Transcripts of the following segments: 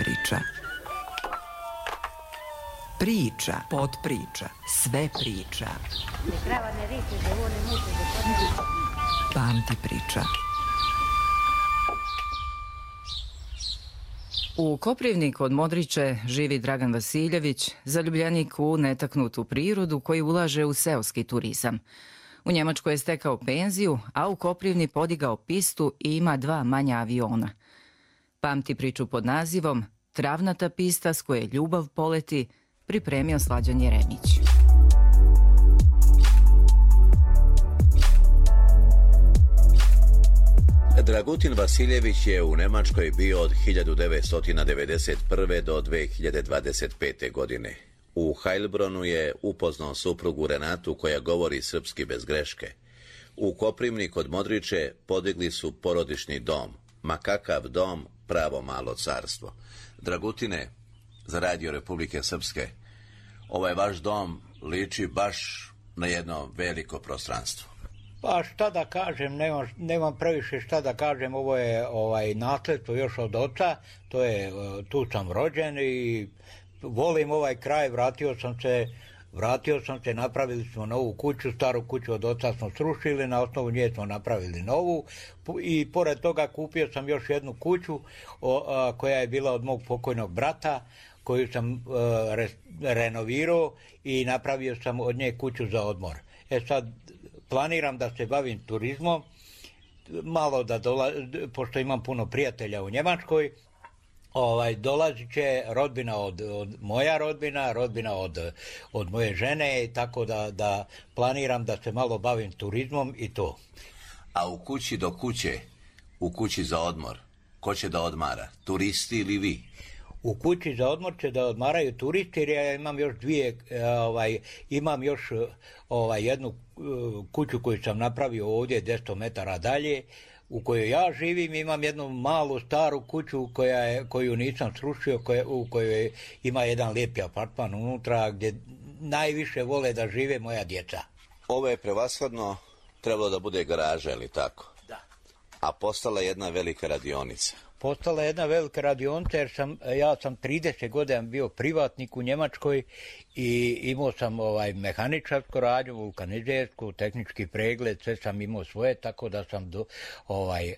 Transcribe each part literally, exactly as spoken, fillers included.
priča. Priča, podpriča, sve priča. Pamti priča. U Koprivniku kod Modriče živi Dragan Vasiljević, zaljubljenik u netaknutu prirodu koji ulaže u seoski turizam. U Njemačkoj je stekao penziju, a u Koprivni podigao pistu i ima dva manja aviona. Pamti priču pod nazivom Travnata pista s koje ljubav poleti, pripremio Slađan Jeremić. Dragutin Vasiljević je u Nemačkoj bio od hiljadu devetsto devedeset prve. do dve hiljade dvadeset pete. godine. U Heilbronu je upoznao suprugu Renatu koja govori srpski bez greške. U Koprivniku kod Modriče podigli su porodični dom. Ma kakav dom, pravo malo carstvo. Dragutine, za Radio Republike Srpske, ovaj vaš dom liči baš na jedno veliko prostranstvo. Pa šta da kažem, nemam, nemam previše šta da kažem, ovo je ovaj, nasledstvo još od oca, to je, tu sam rođen i volim ovaj kraj, vratio sam se, vratio sam se, napravili smo novu kuću, staru kuću od oca smo srušili, na osnovu nje smo napravili novu i pored toga kupio sam još jednu kuću o, a, koja je bila od mog pokojnog brata, koju sam uh, re, renovirao i napravio sam od nje kuću za odmor. E sad, planiram da se bavim turizmom, malo da dola, pošto imam puno prijatelja u Njemačkoj, ovaj, dolazit će rodbina od, od moja rodbina, rodbina od, od moje žene, tako da, da planiram da se malo bavim turizmom i to. A u kući do kuće, u kući za odmor, ko će da odmara, turisti ili vi? U kući za odmor će da odmaraju turisti, jer ja imam još dvije, ovaj, imam još ovaj, jednu kuću koju sam napravio ovdje deset metara dalje, u kojoj ja živim, imam jednu malu staru kuću koja je, koju nisam srušio, koja, u kojoj ima jedan lijepi apartman unutra gdje najviše vole da žive moja djeca. Ovo je prevashodno trebalo da bude garaža, ili tako? Da. A postala jedna velika radionica. Postala jedna velika radionica jer sam, ja sam trideset godina bio privatnik u Njemačkoj i imao sam ovaj mehaničarsku radnju, vulkanizersku, tehnički pregled, sve sam imao svoje, tako da sam do, ovaj,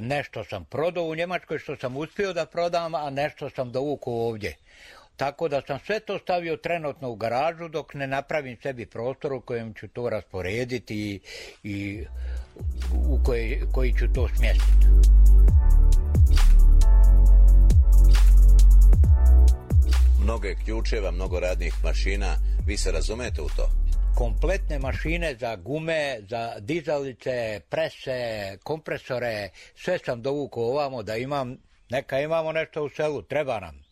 nešto sam prodao u Njemačkoj što sam uspio da prodam, a nešto sam dovukao ovdje. Tako da sam sve to stavio trenutno u garažu dok ne napravim sebi prostor u kojem ću to rasporediti i, i u koji, koji ću to smjestiti. Mnogo je ključeva, mnogo radnih mašina. Vi se razumete u to? Kompletne mašine za gume, za dizalice, prese, kompresore, sve sam dovukao ovamo da imam, neka imamo nešto u selu, treba nam.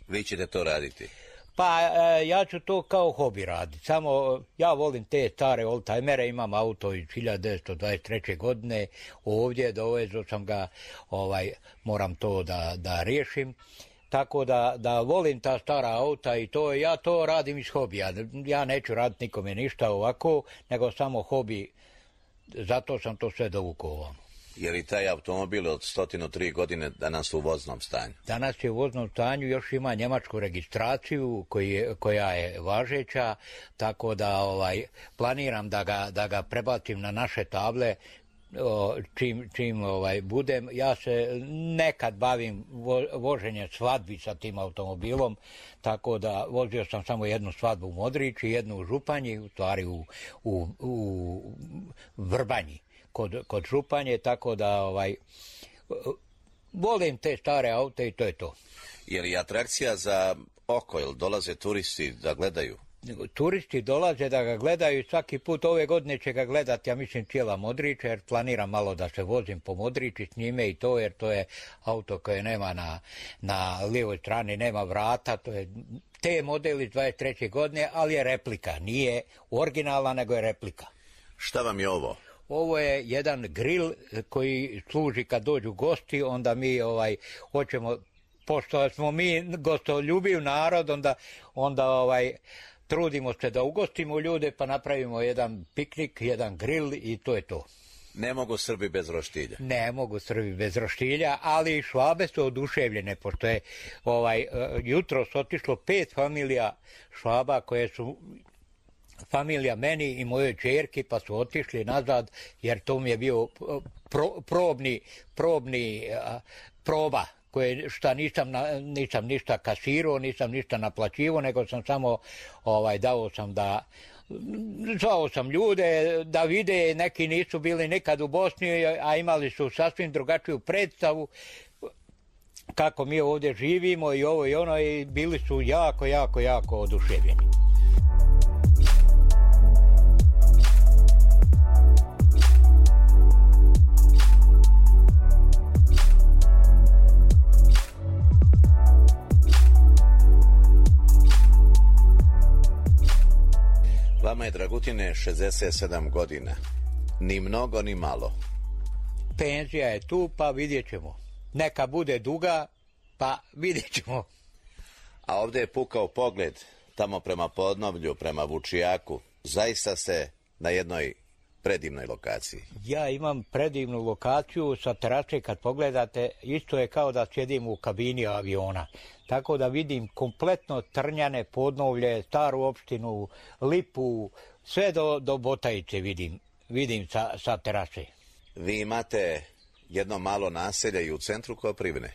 Vi ćete to raditi? Pa e, ja ću to kao hobi raditi, samo ja volim te stare oldtimere, imam auto iz hiljadu devetsto dvadeset treće. godine, ovdje dovezao sam ga, ovaj, moram to da, da riješim. Tako da, da volim ta stara auta i to, ja to radim iz hobija. Ja neću raditi nikome ništa ovako, nego samo hobi, zato sam to sve dovukao ovamo. Je li taj automobil od sto tri godine danas u voznom stanju? Danas je u voznom stanju, još ima njemačku registraciju koji, koja je važeća, tako da ovaj, planiram da ga, da ga prebacim na naše table. O, čim, čim ovaj, budem, ja se nekad bavim vo, voženjem svadbi sa tim automobilom, tako da vozio sam samo jednu svadbu u Modriči, jednu u Županji, u stvari u, u, u Vrbanji kod, kod Županje, tako da ovaj, volim te stare aute i to je to. Je li atrakcija za oko, ili dolaze turisti da gledaju? Turisti dolaze da ga gledaju i svaki put ove godine će ga gledati, ja mislim, cijela Modriča, jer planiram malo da se vozim po Modriči s njime i to, jer to je auto koje nema na, na lijevoj strani, nema vrata, to je te model iz dvadeset treće. godine, ali je replika, nije originalna, nego je replika. Šta vam je ovo? Ovo je jedan grill koji služi kad dođu gosti, onda mi ovaj hoćemo, pošto smo mi gostoljubiv narod, onda, onda ovaj trudimo se da ugostimo ljude, pa napravimo jedan piknik, jedan grill i to je to. Ne mogu Srbi bez roštilja. Ne mogu Srbi bez roštilja, ali Švabe su oduševljene, pošto je ovaj, jutros otišlo pet familija Švaba koje su familija meni i mojoj ćerki, pa su otišli nazad, jer to mi je bio pro, probni, probni a, proba, koje šta nisam, nisam ništa kasirao, nisam ništa naplaćivao, nego sam samo ovaj, dao sam da zvao sam ljude da vide, neki nisu bili nikad u Bosni, a imali su sasvim drugačiju predstavu kako mi ovdje živimo i ovo i ono, i bili su jako, jako, jako oduševljeni. Vama je, Dragutine, šezdeset sedam godina. Ni mnogo, ni malo. Penzija je tu, pa vidjet ćemo. Neka bude duga, pa vidjet ćemo. A ovdje je pukao pogled, tamo prema Podnovlju, prema Vučijaku. Zaista ste na jednoj predivnoj lokaciji. Ja imam predivnu lokaciju sa terase, kad pogledate, isto je kao da sjedim u kabini aviona. Tako da vidim kompletno Trnjane, Podnovlje, Staru opštinu, Lipu, sve do, do Botajice vidim, vidim sa, sa terase. Vi imate jedno malo naselje i u centru Koprivne.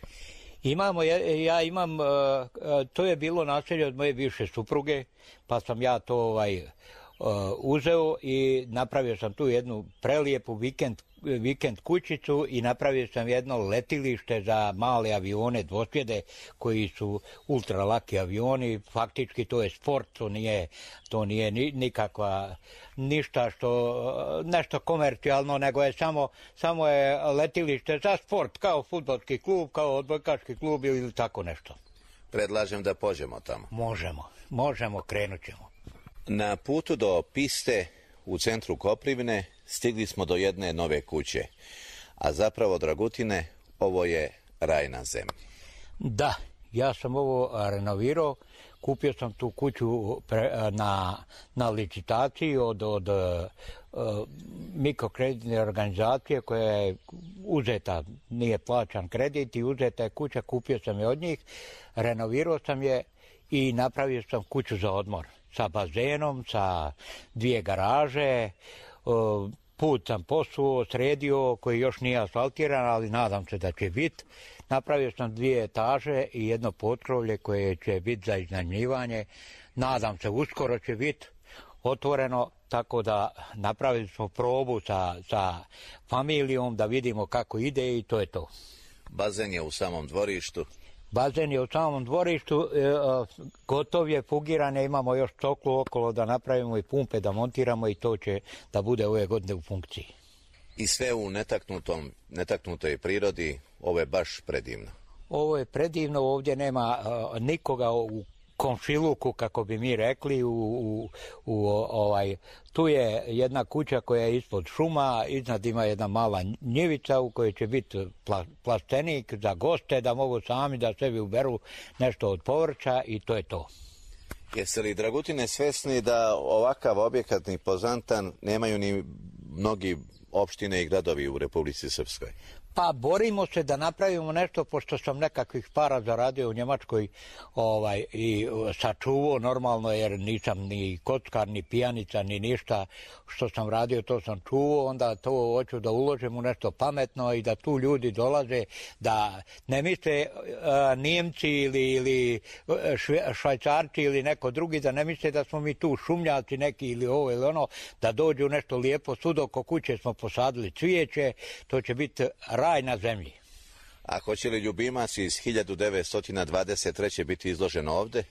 Imamo, ja imam, to je bilo naselje od moje bivše supruge, pa sam ja to ovaj, uzeo i napravio sam tu jednu prelijepu vikend, vikend kućicu i napravio sam jedno letilište za male avione, dvosjede, koji su ultralaki avioni. Faktički to je sport, to nije, to nije nikakva, ništa što, nešto komercijalno, nego je samo, samo je letilište za sport, kao fudbalski klub, kao odbojkaški klub ili tako nešto. Predlažem da pođemo tamo. Možemo, možemo, krenut ćemo. Na putu do piste u centru Koprivne stigli smo do jedne nove kuće. A zapravo, Dragutine, ovo je raj na zemlji. Da, ja sam ovo renovirao. Kupio sam tu kuću pre, na, na licitaciji od, od uh, mikrokreditne organizacije koja je uzeta, nije plaćan kredit i uzeta je kuća, kupio sam je od njih, renovirao sam je i napravio sam kuću za odmor. Sa bazenom, sa dvije garaže, put sam posuo, sredio, koji još nije asfaltiran, ali nadam se da će biti. Napravio sam dvije etaže i jedno potkrovlje koje će biti za iznajmljivanje. Nadam se, uskoro će biti otvoreno, tako da napravili smo probu sa, sa familijom da vidimo kako ide i to je to. Bazen je u samom dvorištu. Bazen je u samom dvorištu, e, gotov je, fugiran je, imamo još coklu okolo da napravimo i pumpe da montiramo i to će da bude ove godine u funkciji. I sve u netaknutom, netaknutoj prirodi, ovo je baš predivno. Ovo je predivno, ovdje nema a, nikoga u komšiluku, kako bi mi rekli, u, u, u, ovaj, tu je jedna kuća koja je ispod šuma, iznad ima jedna mala njivica u kojoj će biti pla, plastenik za goste, da mogu sami da sebi uberu nešto od povrća i to je to. Jeste li, Dragutine, svesni da ovakav objekat impozantan nemaju ni mnogi opštine i gradovi u Republici Srpskoj? Pa borimo se da napravimo nešto, pošto sam nekakvih para zaradio u Njemačkoj ovaj, i sačuvao normalno, jer nisam ni kockar, ni pijanica, ni ništa što sam radio, to sam čuvao, onda to hoću da uložim u nešto pametno i da tu ljudi dolaze, da ne misle uh, Nijemci ili, ili šve, Švajcarci ili neko drugi, da ne misle da smo mi tu šumljaci neki ili ovo ili ono, da dođu nešto lijepo, sud oko kuće smo posadili cvijeće, to će biti raj na zemlji. A hoće li ljubimac iz hiljadu devetsto dvadeset treće biti izložen ovdje?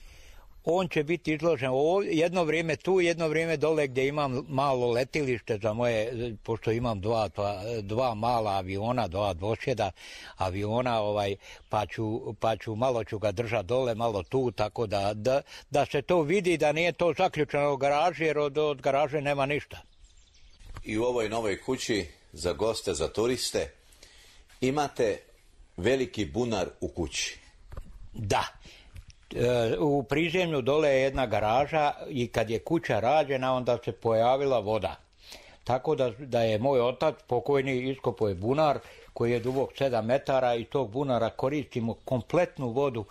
On će biti izložen ovdje, jedno vrijeme tu, jedno vrijeme dole gdje imam malo letilište za moje, pošto imam dva, dva, dva mala aviona, dva dvosjeda aviona, ovaj, pa, ću, pa ću malo ću ga držati dole, malo tu, tako da, da, da se to vidi, da nije to zaključeno u garaži, jer od, od garaže nema ništa. I u ovoj novoj kući za goste, za turiste, imate veliki bunar u kući. Da. E, u prizemlju dole je jedna garaža i kad je kuća rađena onda se pojavila voda. Tako da, da je moj otac pokojni iskopao je bunar koji je dubok sedam metara i tog bunara koristimo kompletnu vodu,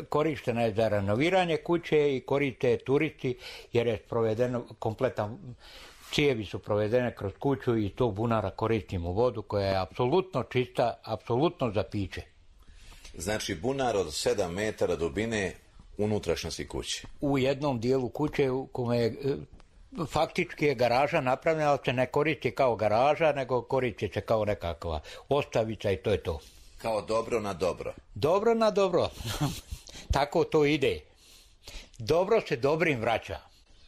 korištena je za renoviranje kuće i koriste turisti jer je provedeno kompletan, cijevi su provedene kroz kuću i tog bunara koristimo vodu koja je apsolutno čista, apsolutno za piće. Znači bunar od sedam metara dubine unutrašnjosti kuće. U jednom dijelu kuće u kome je faktički je garaža napravljena, ali se ne koristi kao garaža, nego koristi se kao nekakva ostavica i to je to. Kao dobro na dobro. Dobro na dobro. Tako to ide. Dobro se dobrim vraća.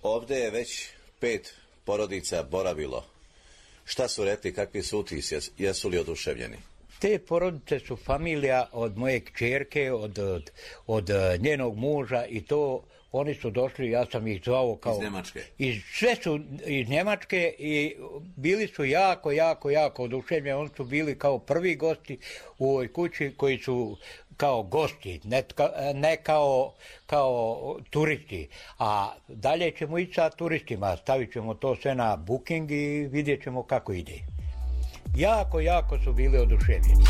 Ovdje je već pet porodica boravilo. Šta su rekli, kakvi su utisci, jesu li oduševljeni? Te porodice su familija od moje kćerke, od, od, od njenog muža i to oni su došli, ja sam ih zvao kao... Iz Njemačke? Iz, sve su iz Njemačke i bili su jako, jako, jako oduševljeni. Oni su bili kao prvi gosti u ovoj kući koji su kao gosti, ne, ne kao, kao turisti. A dalje ćemo ići sa turistima, stavit ćemo to sve na booking i vidjet ćemo kako ide. Jako, jako su bili oduševljeni.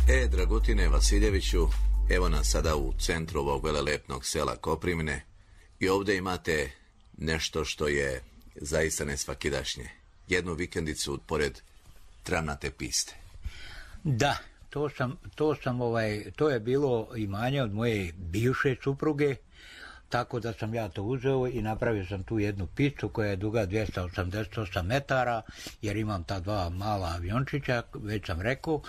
E, Dragutine Vasiljeviću, evo nas sada u centru ovog velelepnog sela Koprivne i ovdje imate nešto što je zaista nesvakidašnje. Jednu vikendicu pored travnate piste. Da, to sam, to sam ovaj, to je bilo imanje od moje bivše supruge, tako da sam ja to uzeo i napravio sam tu jednu pistu koja je duga dvjesto osamdeset osam metara, jer imam ta dva mala aviončića, već sam rekao.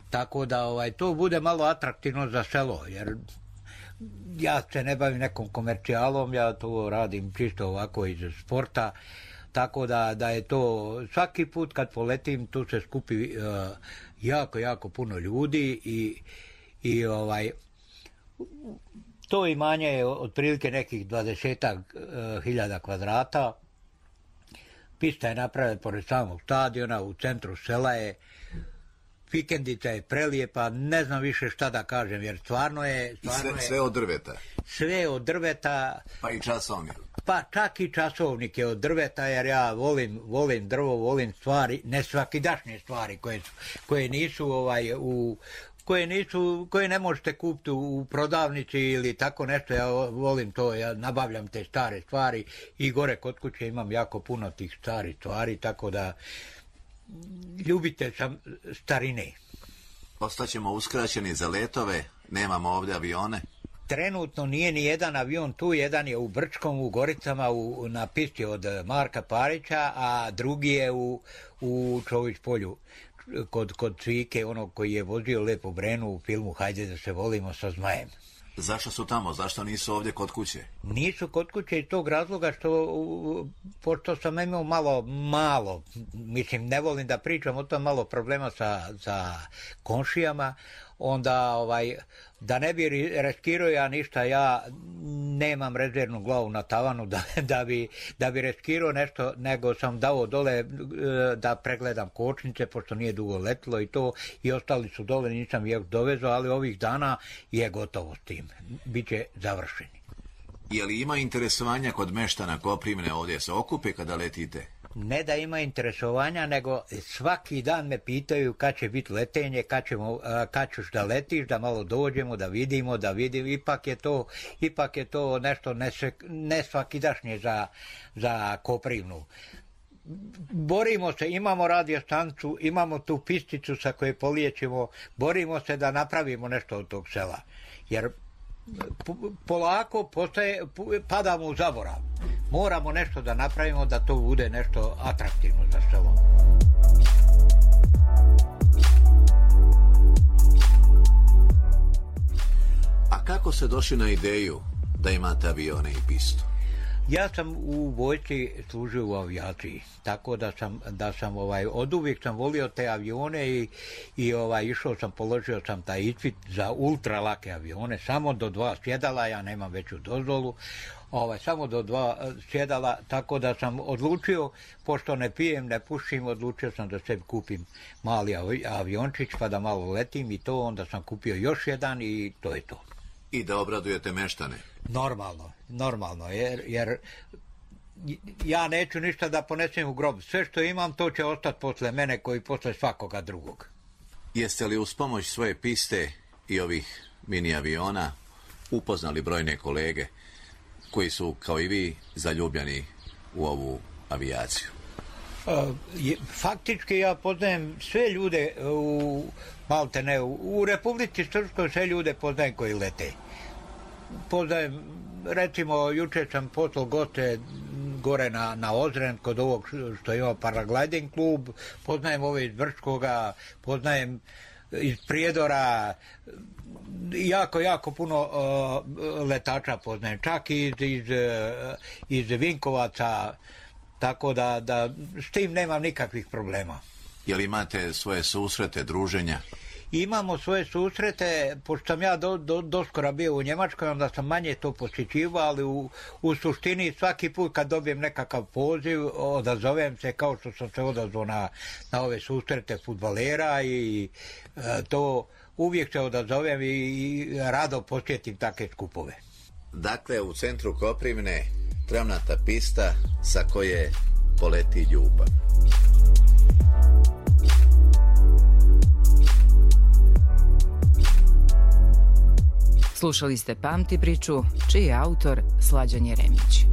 Tako da ovaj, to bude malo atraktivno za selo, jer ja se ne bavim nekom komercijalom, ja to radim čisto ovako iz sporta, tako da, da je to svaki put kad poletim tu se skupi uh, jako, jako puno ljudi i, i ovaj, to imanje je otprilike nekih dvadesetak uh, hiljada kvadrata, pista je napravljena pored samog stadiona, u centru sela je. Vikendica je prelijepa, ne znam više šta da kažem, jer stvarno je... Stvarno I sve, je, sve od drveta? Sve od drveta. Pa i časovnik? Pa čak i časovnik je od drveta, jer ja volim, volim drvo, volim stvari, ne svakidašnje stvari koje, su, koje nisu ovaj, u... koje nisu, koje ne možete kupiti u prodavnici ili tako nešto, ja volim to, ja nabavljam te stare stvari i gore kod kuće imam jako puno tih starih stvari, tako da ljubitelj sam starine. Ostaćemo uskraćeni za letove, nemamo ovdje avione. Trenutno nije ni jedan avion tu, jedan je u Brčkom, u Goricama, u, na pisti od Marka Parića, a drugi je u, u Čović polju, kod, kod Cvike, onog koji je vozio Lepo Brenu u filmu Hajde da se volimo sa zmajem. Zašto su tamo? Zašto nisu ovdje kod kuće? Nisu kod kuće iz tog razloga što, pošto sam imao malo, malo, mislim, ne volim da pričam o tom, malo problema sa, sa komšijama, onda ovaj, da ne bi riskirao ja ništa, ja nemam rezervnu glavu na tavanu da, da, bi, da bi riskirao nešto, nego sam dao dole da pregledam kočnice, pošto nije dugo letilo i to, i ostali su dole, nisam ih dovezao, ali ovih dana je gotovo s tim, biće završeni. Je li ima interesovanja kod meštana Koprivne ovdje se okupe kada letite? Ne da ima interesovanja, nego svaki dan me pitaju kad će biti letenje, kad, ćemo, kad ćeš da letiš, da malo dođemo, da vidimo, da vidimo. Ipak je to, ipak je to nešto nesvakidašnje za, za Koprivnu. Borimo se, imamo radiostancu, imamo tu pisticu sa koje polijećemo, borimo se da napravimo nešto od tog sela. Jer polako postaje, padamo u zaborav. Moramo nešto da napravimo da to bude nešto atraktivno za selo. A kako se došli na ideju da imate avione i pistu? Ja sam u vojsci služio u avijaciji, tako da sam, da sam ovaj, od uvijek sam volio te avione i, i ovaj, išao sam, položio sam taj ispit za ultra lake avione, samo do dva sjedala, ja nemam veću dozvolu, ovaj, samo do dva sjedala, tako da sam odlučio, pošto ne pijem, ne pušim, odlučio sam da sebi kupim mali aviončić pa da malo letim i to, onda sam kupio još jedan i to je to. I da obradujete meštane? Normalno, normalno, jer, jer ja neću ništa da ponesem u grob. Sve što imam, to će ostati posle mene, koji posle svakoga drugog. Jeste li uz pomoć svoje piste i ovih mini aviona upoznali brojne kolege koji su, kao i vi, zaljubljeni u ovu avijaciju? Faktički ja poznajem sve ljude u Maltene, u Republici Srpskoj, sve ljude poznajem koji lete. Poznajem, recimo, juče sam poslao goste gore na, na Ozren, kod ovog što ima paragliding klub, poznajem ove iz Brčkoga, poznajem iz Prijedora, jako, jako puno uh, letača poznajem, čak i iz, iz, iz Vinkovaca, tako da, da s tim nemam nikakvih problema. Jel imate svoje susrete, druženja? Imamo svoje susrete, pošto sam ja do, do, doskora bio u Njemačkoj, onda sam manje to posjećivao, ali u, u suštini svaki put kad dobijem nekakav poziv, odazovem se kao što sam se odazvao na, na ove susrete fudbalera i e, to uvijek se odazovem i, i rado posjetim takve skupove. Dakle, u centru Koprivne travnata pista sa koje poleti ljubav. Slušali ste Pamti priču, čiji je autor Slađan Jeremić.